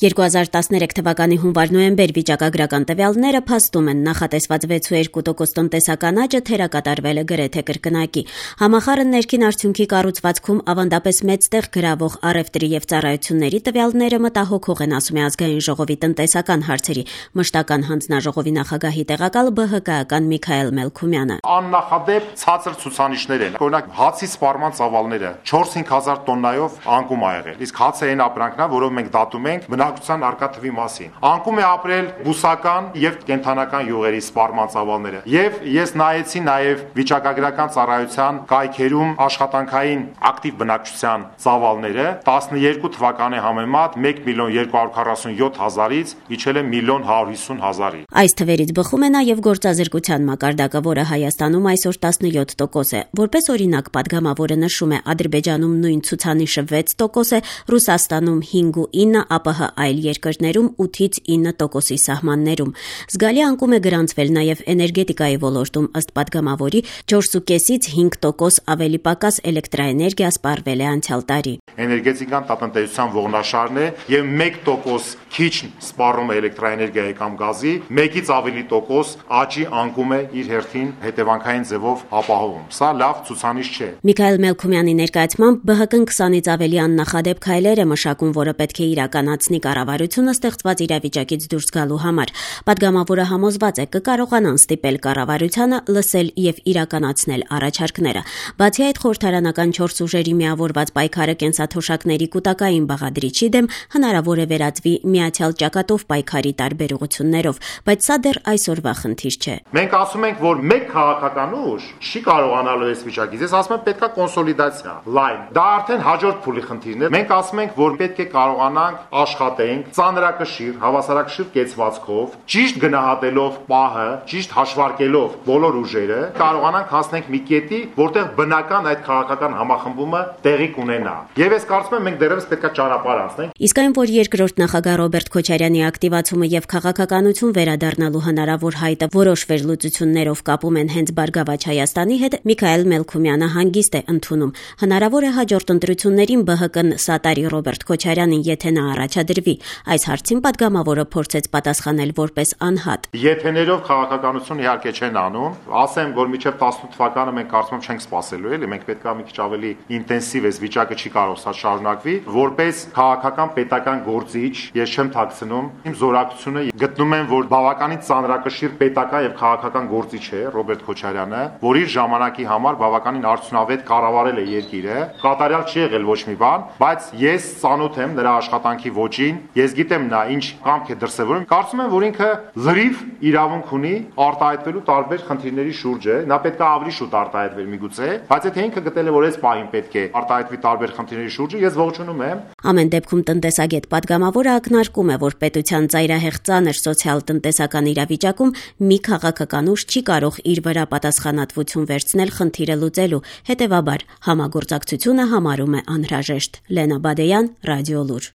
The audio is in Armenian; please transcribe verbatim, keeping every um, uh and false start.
երկու հազար տասներեք թվականի հունվար-նոյեմբեր վիճակագրական տվյալները փաստում են նախատեսված վեց ու երկու տոկոս տնտեսական աճը թերակատարվել է գրեթե կրկնակի։ Համախառն ներքին արդյունքի կառուցվածքում ավանդապես մեծ տեղ գրավող առևտրի եւ ծառայությունների տվյալները մտահոգող են, ասում է Ազգային ժողովի տնտեսական հարցերի մշտական հանձնաժողովի նախագահի տեղակալ Բ Հ Կ-ական Միքայել Մելքումյանը։ Աննախադեպ ցածր ցուցանիշներ են։ Օրինակ հացի սպառման ծավալները չորս-հինգ հազար տոննայով անկում ա եղել։ Իսկ հացը այն ապրանքն է, որով մենք դատում ենք բնակչության արկա թվի մասին։ Անկում է ապրել բուսական եւ կենդանական յուղերի սպառման ծավալները։ Եվ ես նայեցի նաեւ վիճակագրական ծառայության կայքերում աշխատանքային ակտիվ բնակչության ծավալները տասնյոթ թվականի համեմատ մեկ միլիոն երկու հարյուր քառասունյոթ հազարից իջել է միլիոն հարյուր հիսուն հազարի։ Այս թվերից բխում է նաեւ գործազրկության մակարդակը, որը Հայաստանում այսօր տասնյոթ տոկոս է։ Որպես օրինակ, падգամավորը նշում է Ադրբեջանում նույն ցուցանիշը վեց տոկոս է, Ռուսաստանում հինգ ու ինը, ԱՊՀ այլ երկրներում ութից ինը տոկոսի սահմաններում։ Զգալի անկում է գրանցվել նաեւ էներգետիկայի ոլորտում, ըստ падգամավորի չորսուկեսից հինգ տոկոս ավելի պակաս էլեկտրաէներգիա սպառվել է անցյալ տարի։ Էներգետիկան տատնտեսության ողնաշարն է եւ մեկ տոկոս քիչ սպառում է էլեկտրաէներգիայի կամ գազի, մեկից ավելի տոկոս աճի անկում է իր հերթին հետևանքային ձևով ապահովում։ Սա լավ ցուցանիշ չէ։ Միքայել Մելքումյանի ներկայացմամբ Բ Հ Կ-ն քսանից ավելի աննախադեպ քայլեր է մշակում, որը պետք է իրականացնի կառավարությունը ստեղծված իրավիճակից դուրս գալու համար։ Падգամավորը համոզված է կկարողանան ստիպել կառավարությանը լսել եւ իրականացնել առաջարկները։ Բացի այդ, խորհրդարանական չորս ուժերի միավորված պայքարը կենսաթոշակների կൂട്ടակային բաղադրիչի դեմ հնարավոր է վերածվի միացյալ ճակատով պայքարի տարբեր ուղղություններով, բայց սա դեռ այսօրվա խնդիր չէ։ Մենք ասում ենք, որ մեկ քաղաքական ուժ չի կարողանալու այս վիճակից։ Ես ասում եմ, պետքա կոնսոլիդացիա, լայն։ Դա արդեն հաջորդ փուլի խնդիրն է։ Մենք ասում ենք, որ պետք է կարողանանք աշխատենք ծանրակշիռ, հավասարակշիռ կեցվածքով, ճիշտ գնահատելով պահը, ճիշտ հաշվարկելով բոլոր ուժերը, կարողանանք հասնենք մի կետի, որտեղ բնական այդ քաղաքական համախմբումը տեղի կունենա։ Եվ ես կարծում եմ, մենք դեռևս պետքա ճանապարհ անցնենք։ Իսկ այն, որ երկրորդ նախագահ Ռոբերտ Քոչարյանի ակտիվացումը եւ քաղաքականություն վերադառնալու հնարավոր հայտը որոշ վերլուծություններով կապում են հենց Բարգավաճ Հայաստանի հետ, Միքայել Մելքումյանը հանգիստ է ընդունում։ Հնարավոր է հաջորդ ընտրություններին Բ Հ Կ-ն սատարի Ռոբերտ Քոչարյանին, եթե նա առաջադրվի։ Այս հարցին падգամավորը փորձեց պատասխանել որպես անհատ։ Եթեներով քաղաքականություն իհարկե չեն անում, ասեմ, որ մինչև տասնութ թվականը մենք կարծում եմ չենք սպասելու, էլի, մենք պետք է մի քիչ ավելի ինտենսիվ էս վիճակը չի կարող սա շարունակվի, որպես քաղաքական պետական գործիչ ես չեմ թաքցնում իմ զորակցությունը, գտնում եմ, որ բավականին ծանրակշիռ պետական եւ քաղաքական գործիչ է Ռոբերտ Քոչարյանը, որ իր ժամանակի համար բավականին արդյունավետ կառավարել է երկիրը, կատարյալ չի եղել ոչ մի բան, բայց ես ծանոթ եմ նրա աշխատանքի ոճին, ես գիտեմ նա ինչ կամք է դրսևորում, կարծում եմ, որ ինքը լրիվ իրավունք ունի արտահայտվելու տարբեր խնդիրների շուրջը, նա պետք է ավելի շուտ արտահայտվեր միգուցե, բայց եթե ինքը գտել է, որ այս պահին պետք է արտահայտվի տարբեր խնդիրների շուրջը, ես ողջունում եմ։ Ամեն դեպքում տնտեսագետ падգամավորը ակնարկում է, որ պետության ծայրահեղ ծանր սոցիալ-տնտեսական իրավիճակում մի քաղաքական ուժ չի կարող իր վրա պատասխանատվություն վերցնել խնդիրը լուծելու, հետևաբար համագործակցությունը համարում է անհրաժեշտ։ Լենա Բադեյան, Ռադիոլուր։